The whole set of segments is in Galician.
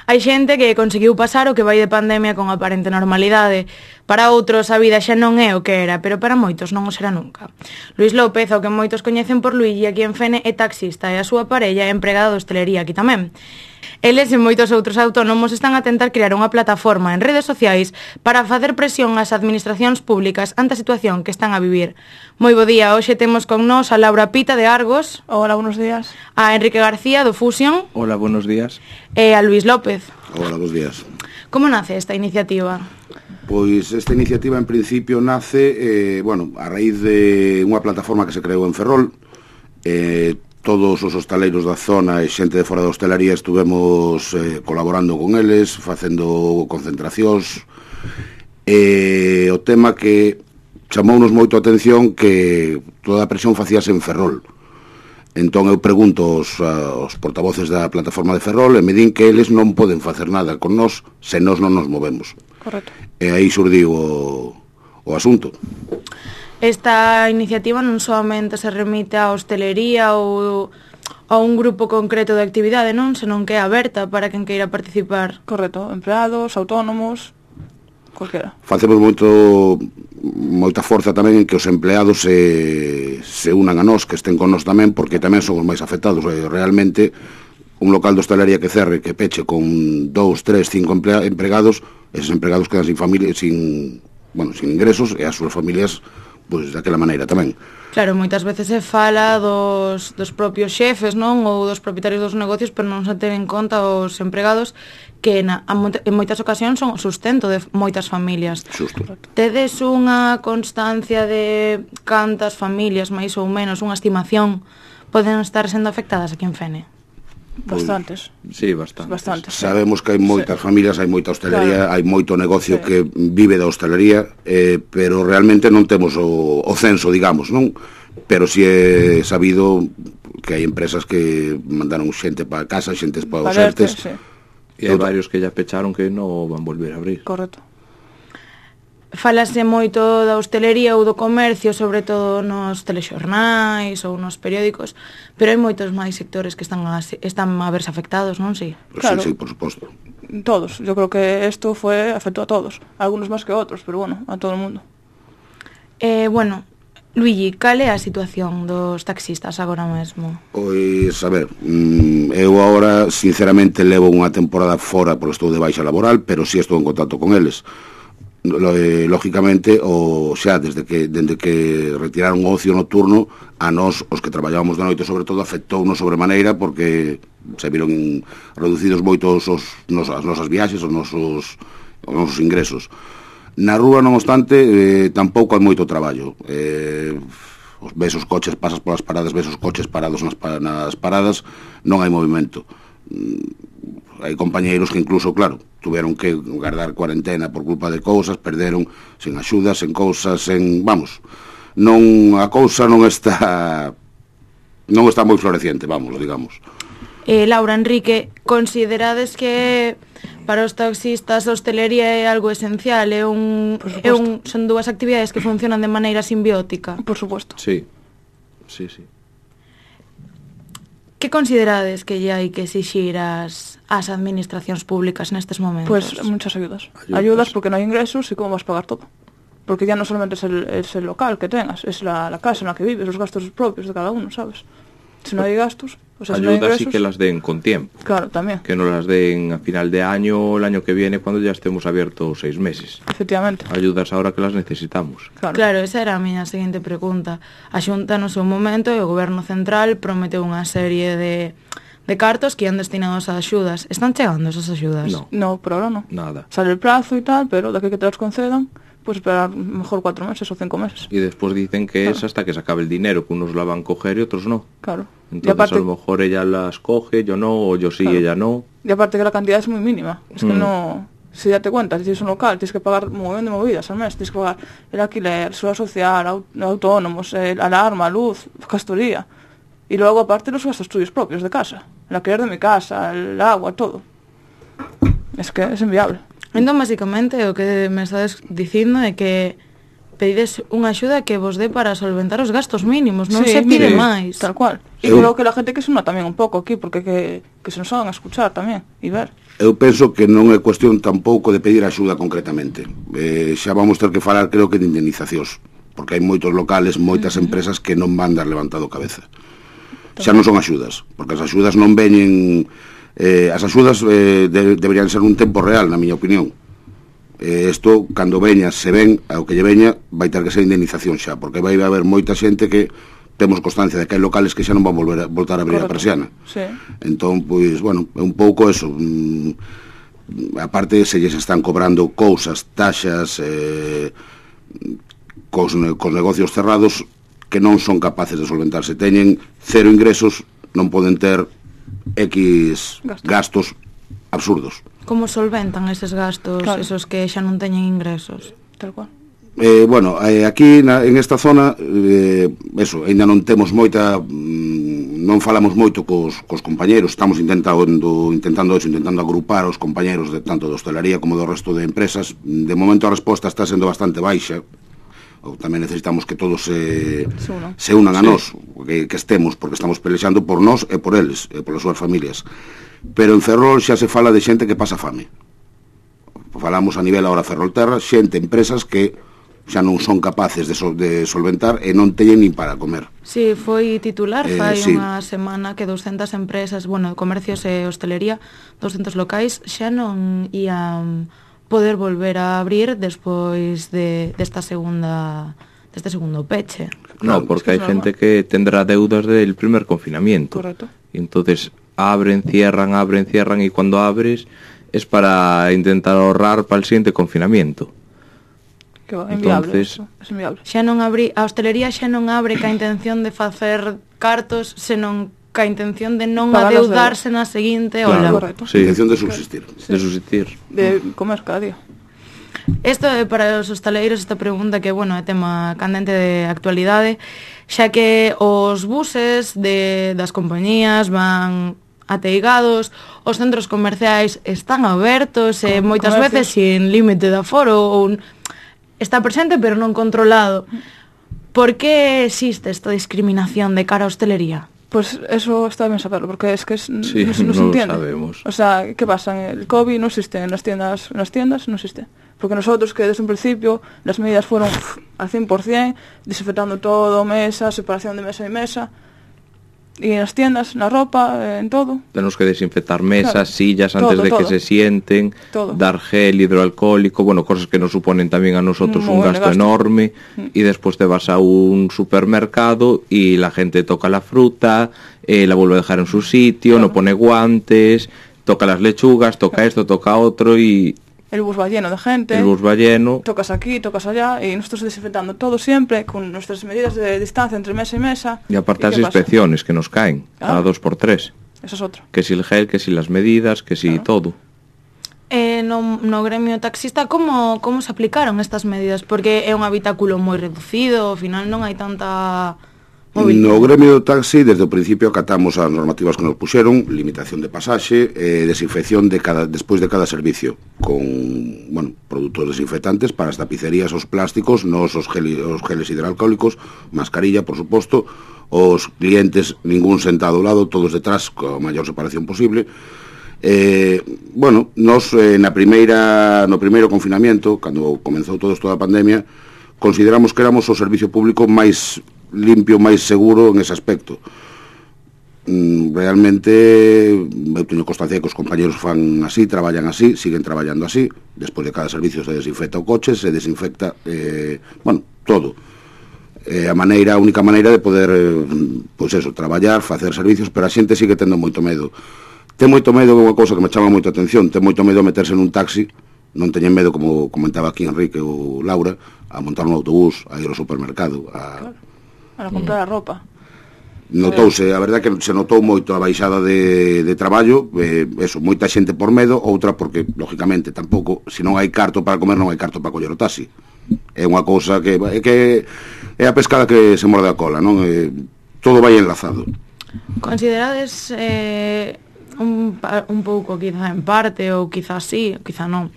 Hai xente que conseguiu pasar o que vai de pandemia con aparente normalidade. Para outros a vida xa non é o que era, pero para moitos non o será nunca. Luís López, o que moitos coñecen por Luigi, aquí en Fene, é taxista e a súa parella é empregada de hostelería aquí tamén. Eles e moitos outros autónomos están a tentar crear unha plataforma en redes sociais para facer presión ás administracións públicas ante a situación que están a vivir. Moi bo día, hoxe temos con nós a Laura Pita de Argos. Hola, buenos días. A Enrique García do Fusion. Hola, buenos días. E a Luís López. Hola, buenos días. Como nace esta iniciativa? Pois esta iniciativa en principio nace, a raíz de unha plataforma que se creou en Ferrol. Todos os hostaleiros da zona e xente de fora da hostelería estuvemos colaborando con eles, facendo concentracións. O tema que chamounos moito a atención que toda a presión facíase en Ferrol. Entón eu pregunto aos portavoces da plataforma de Ferrol e me din que eles non poden facer nada con nós se nós non nos movemos. Correcto. E aí surdiu o asunto. Esta iniciativa non solamente se remite á hostelería ou a un grupo concreto de actividade, non? Senón que é aberta para quen queira participar. Correcto, empleados, autónomos, cualquiera. Facemos moita forza tamén en que os empleados se unan a nós, que estén con nós tamén, porque tamén son os máis afectados. Realmente, un local de hostelería que cerre, que peche con 2, 3, 5 empregados, eses empregados quedan sin familia, sin ingresos, e as súas familias pois daquela maneira tamén. Claro, moitas veces se fala dos propios xefes, non? Ou dos propietarios dos negocios, pero non se ten en conta os empregados que en moitas ocasións son o sustento de moitas familias. Xusto. Tedes unha constancia de cantas familias, máis ou menos, unha estimación, poden estar sendo afectadas aquí en Fene? Bastantes. Sí, bastantes. Sabemos que hai moitas familias, hai moita hostelería, hai moito negocio que vive da hostelería, pero realmente non temos o censo, digamos, non? Pero si é sabido que hai empresas que mandaron xente para casa, xente para os ERTES. Sí. E hai varios que ya pecharon que non van volver a abrir. Correcto. Falase moito da hostelería ou do comercio, sobre todo nos telexornais ou nos periódicos, pero hai moitos máis sectores que están a verse afectados, non? Sí. Claro. Sí, por suposto. Todos. Yo creo que esto afectó a todos. Algunos más que otros, pero bueno, a todo el mundo. Luigi, cal é a situación dos taxistas agora mesmo? Pois, a ver, eu agora, sinceramente, levo unha temporada fora porque estou de baixa laboral, pero si estou en contacto con eles. Lógicamente, desde que retiraron o ocio nocturno, a nós, os que traballábamos de noite, sobre todo, afectounos sobremaneira porque se viron reducidos moitos as nosas viaxes, os nosos ingresos. Na rúa, non obstante, tampouco hai moito traballo. Ves os coches, pasas polas paradas, ves os coches parados nas paradas, non hai movimento. Hai compañeiros que incluso, claro, tuveron que guardar cuarentena por culpa de cousas, perderon sen axudas, sen cousas, a cousa non está moi floreciente, digamos. Laura, Enrique, considerades que para os taxistas a hostelería é algo esencial, son dúas actividades que funcionan de maneira simbiótica? Por suposto. Sí. Que considerades que lle hai que exixir ás administracións públicas nestes momentos? Pues muchas ayudas. Ayudas porque no hay ingresos y cómo vas a pagar todo. Porque ya no solamente es el local que tengas, es la casa en la que vives, los gastos propios de cada uno, ¿sabes? Si no hay gastos, si no hay ingresos... sí que las den con tiempo. Claro, también. Que no las den a final de año o el año que viene cuando ya estemos abiertos 6 meses. Efectivamente. Ayudas ahora que las necesitamos. Claro, esa era a miña seguinte pregunta. A Xunta no seu momento e o Goberno Central prometeu unha serie de cartos que iban destinados a axudas. Están chegando esas axudas? No, por ahora no. Nada. Sale el plazo y tal, pero de aquí que te las concedan, pues esperar mejor 4 meses o 5 meses. Y después dicen que es hasta que se acabe el dinero, que unos la van a coger y otros no. Claro. Entonces aparte, a lo mejor ella las coge, yo no, o yo sí, claro. Ella no. Y aparte que la cantidad es muy mínima. Es que no... Si date cuenta, si tienes un local, tienes que pagar un montón de movidas al mes. Tienes que pagar el alquiler, seguridad social, autónomos, alarma, luz, gestoría. Y luego aparte los gastos tuyos propios de casa. El alquiler de mi casa, el agua, todo. Es que es inviable. Entón, basicamente, o que me estades dicindo é que pedides unha axuda que vos dé para solventar os gastos mínimos, non se pide máis. Tal cual. E creo que la gente que se una tamén un pouco aquí, porque que se nos hagan a escuchar tamén, e ver. Eu penso que non é cuestión tampouco de pedir axuda concretamente. Xa vamos ter que falar, creo que, de indemnizacións, porque hai moitos locales, moitas empresas que non van dar levantado cabeza. Xa non son axudas, porque as axudas non veñen... as axudas deberían ser un tempo real, na miña opinión. Isto, cando veña, se ven, ao que lle veña, vai ter que ser indemnización xa, porque vai haber moita xente que temos constancia de que hai locales que xa non van voltar a abrir a persiana. Sí. Entón, pois, bueno, é un pouco eso. Aparte, se lles están cobrando cousas, taxas, cos negocios cerrados que non son capaces de solventarse. Teñen cero ingresos, non poden ter X gastos absurdos. Como solventan eses gastos, Claro. esos que xa non teñen ingresos? Tal cual. Bueno, aquí en esta zona eso, ainda non temos moita non falamos moito cos compañeros, estamos intentando agrupar os compañeros de tanto de hostelería como do resto de empresas. De momento a resposta está sendo bastante baixa. Ou tamén necesitamos que todos se unan a nós, que estemos, porque estamos pelexando por nós e por eles, e polas súas familias. Pero en Ferrol xa se fala de xente que pasa fame. Falamos a nivel ahora Ferrolterra, xente, empresas que xa non son capaces de solventar e non teñen nin para comer. Sí, foi titular fai sí. unha semana que 200 empresas, bueno, comercios e hostelería, 200 locais, xa non ían poder volver a abrir despois deste segundo peche. No, porque hai gente que tendrá deudas del primer confinamiento. Correcto. Y entonces abren, cierran, y cuando abres es para intentar ahorrar para el siguiente confinamiento. Que é inviable. Entonces, Es inviable. Xa non a hostelería xa non abre ca intención de facer cartos, senón ca intención de non Pagar as adeudarse na seguinte Claro. ola. Correcto. Sí. Intención de subsistir. De subsistir. De comer cada día. Isto é para os hostaleiros esta pregunta que, bueno, é tema candente de actualidade, xa que os buses das compañías van ateigados, os centros comerciais están abertos e moitas veces sin límite de aforo ou está presente pero non controlado. Por que existe esta discriminación de cara á hostelería? Pues eso está bien saberlo, porque es que Sí, no se no lo entiende. sabemos. O sea, ¿qué pasa? El COVID no existe en las tiendas no existe. Porque nosotros que desde un principio las medidas fueron al 100%, desinfectando todo, mesa, separación de mesa y mesa, y en las tiendas, la ropa, en todo. Tenemos que desinfectar mesas, Claro. sillas antes Todo, de que todo. se sienten, Todo. dar gel hidroalcohólico, bueno, cosas que nos suponen también a nosotros Muy un buen gasto gasto. enorme, y después te vas a un supermercado y la gente toca la fruta, la vuelve a dejar en su sitio, Claro. no pone guantes, toca las lechugas, toca esto, toca otro, y El bus va lleno de gente. el bus va lleno. Tocas aquí, tocas allá, y nosotros desinfectando todo siempre, con nuestras medidas de distancia entre mesa y mesa. Y aparte las qué pasa? inspecciones que nos caen, Claro. a 2x3. Eso es otro. Que si el gel, que si las medidas, que si todo. No gremio taxista, como se aplicaron estas medidas? Porque é un habitáculo moi reducido, ao final non hai tanta movilidade. No gremio do taxi, desde o principio acatamos as normativas que nos puxeron, limitación de pasaxe, desinfección despois de cada servicio, con, bueno, produtos desinfectantes para as tapicerías, os plásticos, os geles hidroalcohólicos, mascarilla, por suposto, os clientes, ningún sentado ao lado, todos detrás, coa maior separación posible. Bueno, nos no primeiro confinamiento, cando comenzou todo isto da pandemia, consideramos que éramos o servicio público máis limpio, máis seguro en ese aspecto. Realmente eu teño constancia que os compañeros fan así, traballan así, siguen traballando así. Despois de cada servicio se desinfecta o coche, se desinfecta bueno, todo. A única maneira de poder pois eso, traballar, facer servicios, pero a xente sigue tendo moito medo. Ten moito medo, é unha cousa que me chama moita atención, ten moito medo a meterse nun taxi, non teñen medo, como comentaba aquí Enrique ou Laura, a montar un autobús, a ir ao supermercado, Para comprar a ropa. Notouse, a verdade que se notou moito a baixada de traballo, eso, moita xente por medo, outra porque, lógicamente, tampouco, se non hai carto para comer, non hai carto para coller o taxi. É unha cousa que é a pescada que se morde a cola, non? Todo vai enlazado. Considerades un pouco, quizá en parte, ou quizá sí, ou quizá non,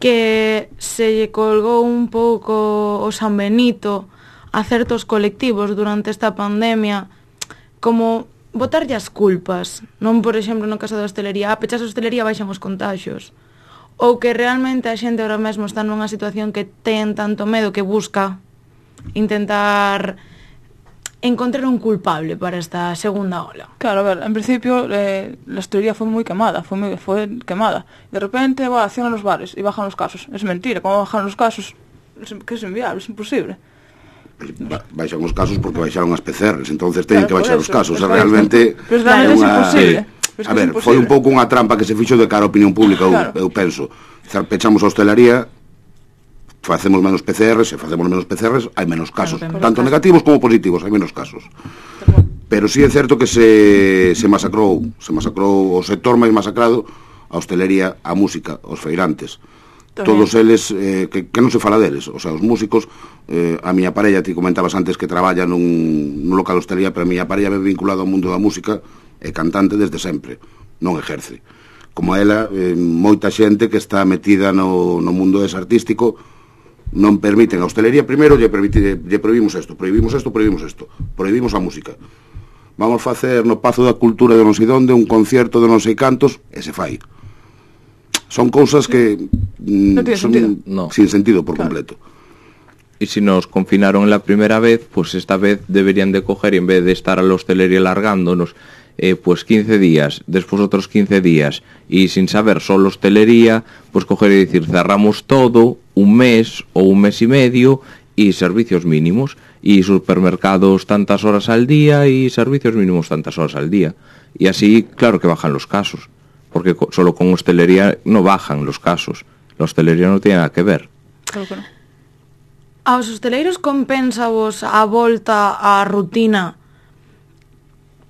que se lle colgou un pouco o San Benito a certos colectivos durante esta pandemia como botarlle as culpas, non, por exemplo, no caso da hostelería, pechas a hostelería baixan os contaxios, ou que realmente a xente ahora mesmo está nunha situación que ten tanto medo que busca intentar encontrar un culpable para esta segunda ola. Claro, a ver, en principio la hostelería fue muy quemada, fue quemada. De repente, cierran los bares y bajan los casos. Es mentira, ¿cómo bajan los casos? Que es inviable, es imposible. Baixan os casos porque baixaron as PCRs, entonces teñen Claro, que baixar por os eso, casos, por realmente Pero realmente es imposible. Sí. A ver, foi un pouco unha trampa que se fixo de cara á opinión pública, Claro. eu penso. Pechamos a hostelería, facemos menos PCRs, se facemos menos PCRs, hai menos casos, Claro, tanto negativos como positivos, hai menos casos. Pero sí é certo que se masacrou o sector máis masacrado, a hostelería, a música, os feirantes. Tamén. Todos eles, que non se fala deles, o sea, os músicos, a miña parella, ti comentabas antes que traballa nun local de hostelería, pero a miña parella é vinculada ao mundo da música, é cantante desde sempre, non exerce. Como a ela, moita xente que está metida no mundo ese artístico, non permiten a hostelería, primeiro lle prohibimos isto, prohibimos a música. Vamos facer no Pazo da Cultura de non sei donde un concierto de non sei cantos, e se fai. Son cousas que No tiene sentido. No. sin sentido por Claro. completo. Y si nos confinaron la primera vez, pues esta vez deberían de coger, y en vez de estar a la hostelería largándonos, pues 15 días, después otros 15 días, y sin saber solo hostelería, pues coger y decir, cerramos todo, un mes o un mes y medio, y servicios mínimos, y supermercados tantas horas al día, y servicios mínimos tantas horas al día. Y así, claro que bajan los casos, porque solo con hostelería no bajan los casos. La hostelería no tiene nada que ver. Claro que no. Aos hosteleiros compensa vos a volta á rutina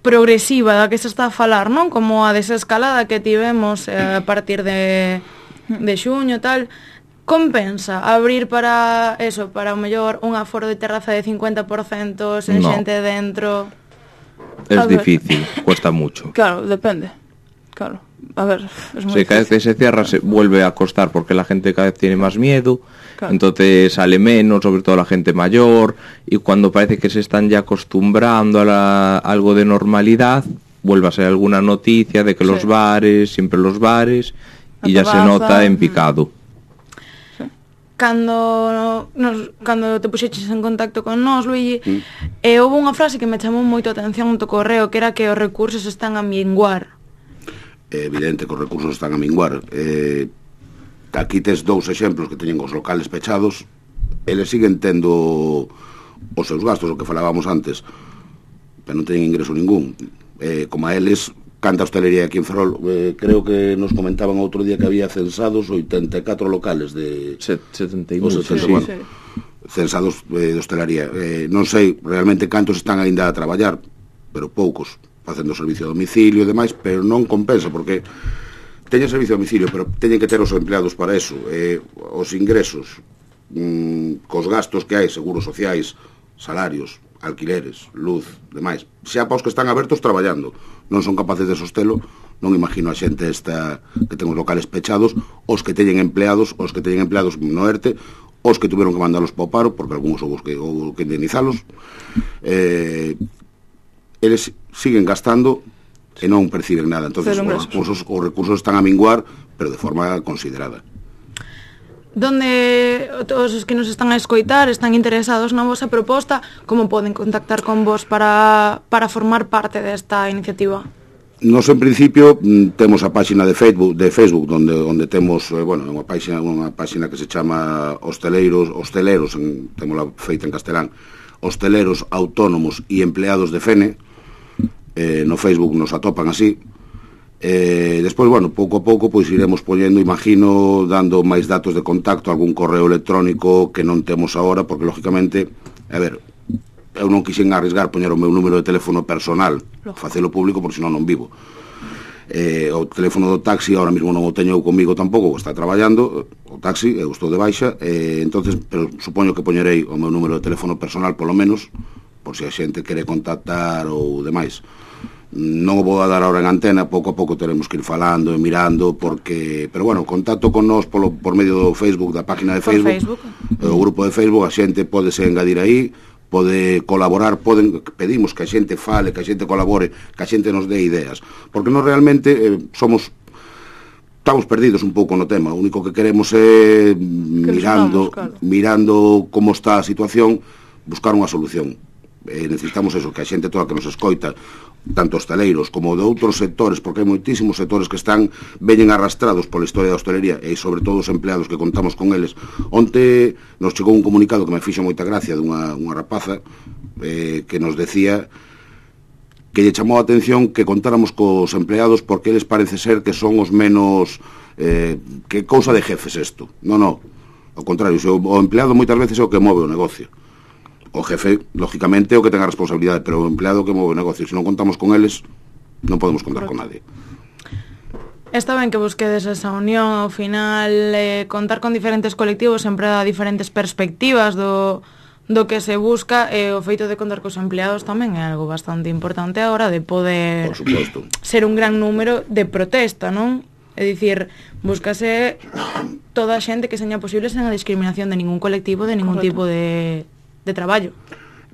progresiva da que se está a falar, non? Como a desescalada que tivemos a partir de xuño, tal. Compensa abrir para eso, para o mellor un aforo de terraza de 50% sen No. xente dentro. Es A ver. difícil, cuesta mucho. Claro, depende. Claro. A ver, es muy Sí, cada vez que se cierra se vuelve a costar porque la gente cada vez tiene más miedo, Claro. entonces sale menos, sobre todo la gente mayor, y cuando parece que se están ya acostumbrando a algo de normalidad, vuelve a ser alguna noticia de que Sí. los bares, siempre los bares, y La ya se terraza, nota en picado. Cando te puxeches en contacto con nós, Luigi, houve unha frase que me chamou moito a atención no teu correo, que era que os recursos están a minguar. É evidente que os recursos están a minguar. Aquí tes dous exemplos que teñen os locales pechados, eles siguen tendo os seus gastos, o que falábamos antes, pero non teñen ingreso ningún. Como a eles, canta hostelería aquí en Ferrol, creo que nos comentaban outro día que había censados 84 locales de... 70 y o mucho, 70, sí. bueno, censados de hostelería. Non sei realmente cantos están aínda a traballar, pero poucos, facendo servicio a domicilio e demais, pero non compensa, porque teñen servicio a domicilio, pero teñen que ter os empleados para eso. Os ingresos, cos gastos que hai, seguros sociais, salarios, alquileres, luz, demais, xa para os que están abertos traballando, non son capaces de sostelo, non imagino a xente esta que ten os locales pechados, os que teñen empleados no ERTE, os que tuveron que mandalos para o paro, porque algúns houve que indemnizalos, eles siguen gastando e non perciben nada, entonces os recursos están a minguar, pero de forma considerada. Donde todos os que nos están a escoitar están interesados na vosa proposta, como poden contactar con vos para formar parte desta iniciativa? Nos en principio temos a páxina de Facebook onde temos, unha páxina que se chama Hosteleros, témola feita en castelán, Hosteleros Autónomos e Empleados de Fene. No Facebook nos atopan así. Despois, pouco a pouco pois iremos poñendo, imagino, dando máis datos de contacto, algún correo electrónico que non temos agora, porque lógicamente, eu non quixen arrisgar poñer o meu número de teléfono personal, facelo público, porque senón non vivo. O teléfono do taxi ahora mesmo non o teño comigo tampouco, está traballando o taxi, eu estou de baixa, entonces, pero supoño que poñerei o meu número de teléfono personal polo menos, por se a xente quere contactar ou demais. Non o vou a dar ahora en antena, pouco a pouco teremos que ir falando e mirando, porque, pero contacto con nós por medio do Facebook, da página de Facebook, o grupo de Facebook, a xente pódese engadir aí, pode colaborar, pedimos que a xente fale, que a xente colabore, que a xente nos dé ideas, porque nós realmente estamos perdidos un pouco no tema. O único que queremos é mirando como está a situación, buscar unha solución. Necesitamos eso, que a xente toda que nos escoita, tanto hostaleiros como de outros sectores, porque hai moitísimos sectores que veñen arrastrados pola historia da hostelería, e sobre todo os empleados que contamos con eles. Onte nos chegou un comunicado que me fixo moita gracia dunha rapaza que nos decía que lle chamou a atención que contáramos cos empleados porque eles parece ser que son os menos que cousa de jefes isto. Non, ao contrario, o empleado moitas veces é o que move o negocio. O jefe, lógicamente, é o que ten a responsabilidade, pero o empleado que move o negocio. Se non contamos con eles, non podemos contar con nadie. Está ben que busquedes esa unión, ao final, contar con diferentes colectivos sempre dá diferentes perspectivas do que se busca, e o feito de contar cos empleados tamén é algo bastante importante a hora de poder ser un gran número de protesta, non? É dicir, búscase toda a xente que seña posible sen a discriminación de ningún colectivo, de ningún tipo de traballo.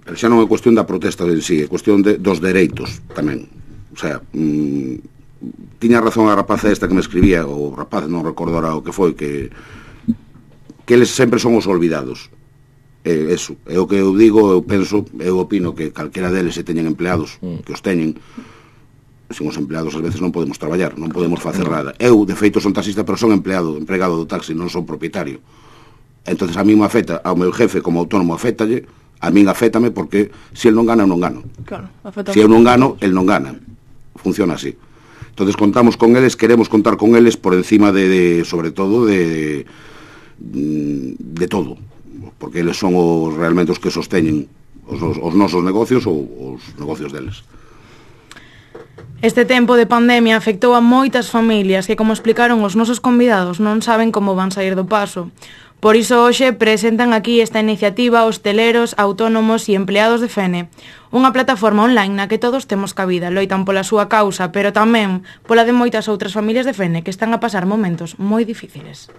Pero xa non é cuestión da protesta en sí, é cuestión dos dereitos tamén. O sea, tiña razón a rapaza esta que me escribía, o rapaz, non recordo ahora o que foi, que eles sempre son os olvidados. Eso, é o que eu digo, eu penso, eu opino que calquera deles se teñen empleados, que os teñen, sen os empleados ás veces non podemos traballar, non podemos facer nada. Eu, de feito, son taxista, pero son empregado do taxi, non son propietario. Entonces a mí me afecta, ao meu jefe como autónomo afectalle, a min afétame porque se el non gana, eu non gano. Claro, se eu non gano, el non gana. Funciona así. Entonces contamos con eles, queremos contar con eles por encima sobre todo de todo, porque eles son realmente os que sosteñen os nosos negocios ou os negocios deles. Este tempo de pandemia afectou a moitas familias que, como explicaron os nosos convidados, non saben como van sair do paso. Por iso hoxe presentan aquí esta iniciativa hosteleros, autónomos e empleados de Fene, unha plataforma online na que todos temos cabida, loitan pola súa causa, pero tamén pola de moitas outras familias de Fene que están a pasar momentos moi difíciles.